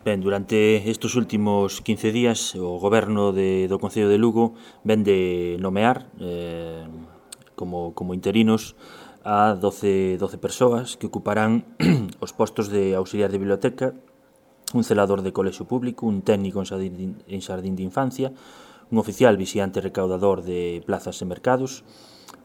Ben, durante estes últimos 15 días o Goberno do Concello de Lugo ven de nomear como interinos a 12 persoas que ocuparán os postos de auxiliar de biblioteca, un celador de colexio público, un técnico en xardín de infancia, un oficial vixiante recaudador de plazas e mercados,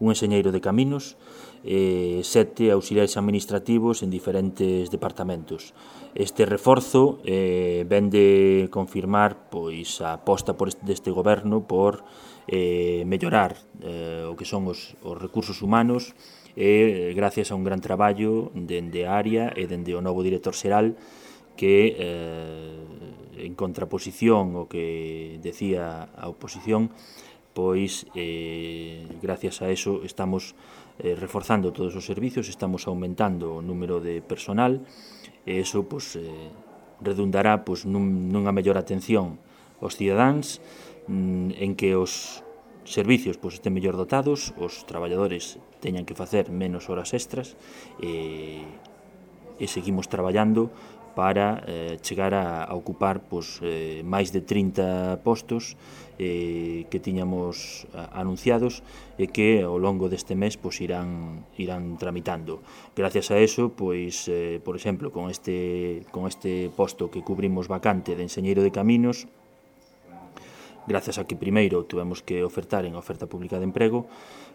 un enxeñeiro de caminos e 7 auxiliares administrativos en diferentes departamentos. Este reforzo ven de confirmar pois a aposta deste goberno por mellorar o que son os recursos humanos e gracias a un gran traballo dende a área e dende o novo director xeral que en contraposición ao que decía a oposición, pois gracias a eso estamos reforzando todos os servicios, estamos aumentando o número de personal e eso pois, redundará pois, nunha mellor atención aos cidadáns, en que os servicios pois, estén mellor dotados, os traballadores teñan que facer menos horas extras e seguimos traballando para chegar a ocupar pois, máis de 30 postos que tiñamos anunciados e que ao longo deste mes pois, irán tramitando. Gracias a eso, pois, por exemplo, con este posto que cubrimos vacante de enxeñeiro de caminos, grazas a que primeiro tuvemos que ofertar en oferta pública de emprego,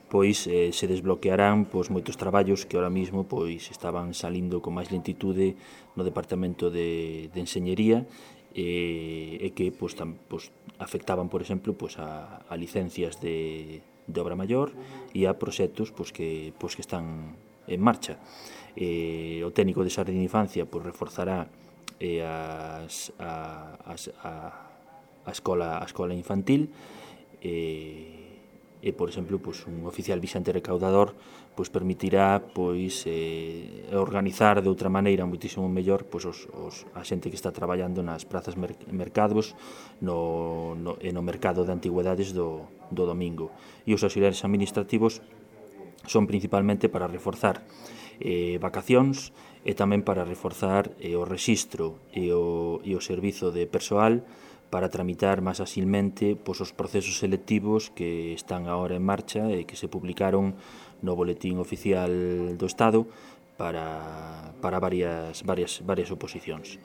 pois se desbloquearán pois, moitos traballos que ahora mismo pois, estaban salindo con máis lentitude no Departamento de Enxeñería e que pois, afectaban, por exemplo, pois, a licencias de obra maior e a proxectos pois, que están en marcha. O técnico de xardín de infancia pois, reforzará a escola infantil e, por exemplo, pois, un oficial vixiante recaudador pois, permitirá pois, organizar de outra maneira moitísimo mellor pois, a xente que está traballando nas prazas mercados e no mercado de antigüedades do domingo. E os auxiliares administrativos son principalmente para reforzar vacacións e tamén para reforzar o rexistro e o servizo de persoal para tramitar máis asilmente pois, os procesos selectivos que están agora en marcha e que se publicaron no Boletín Oficial do Estado para varias oposicións.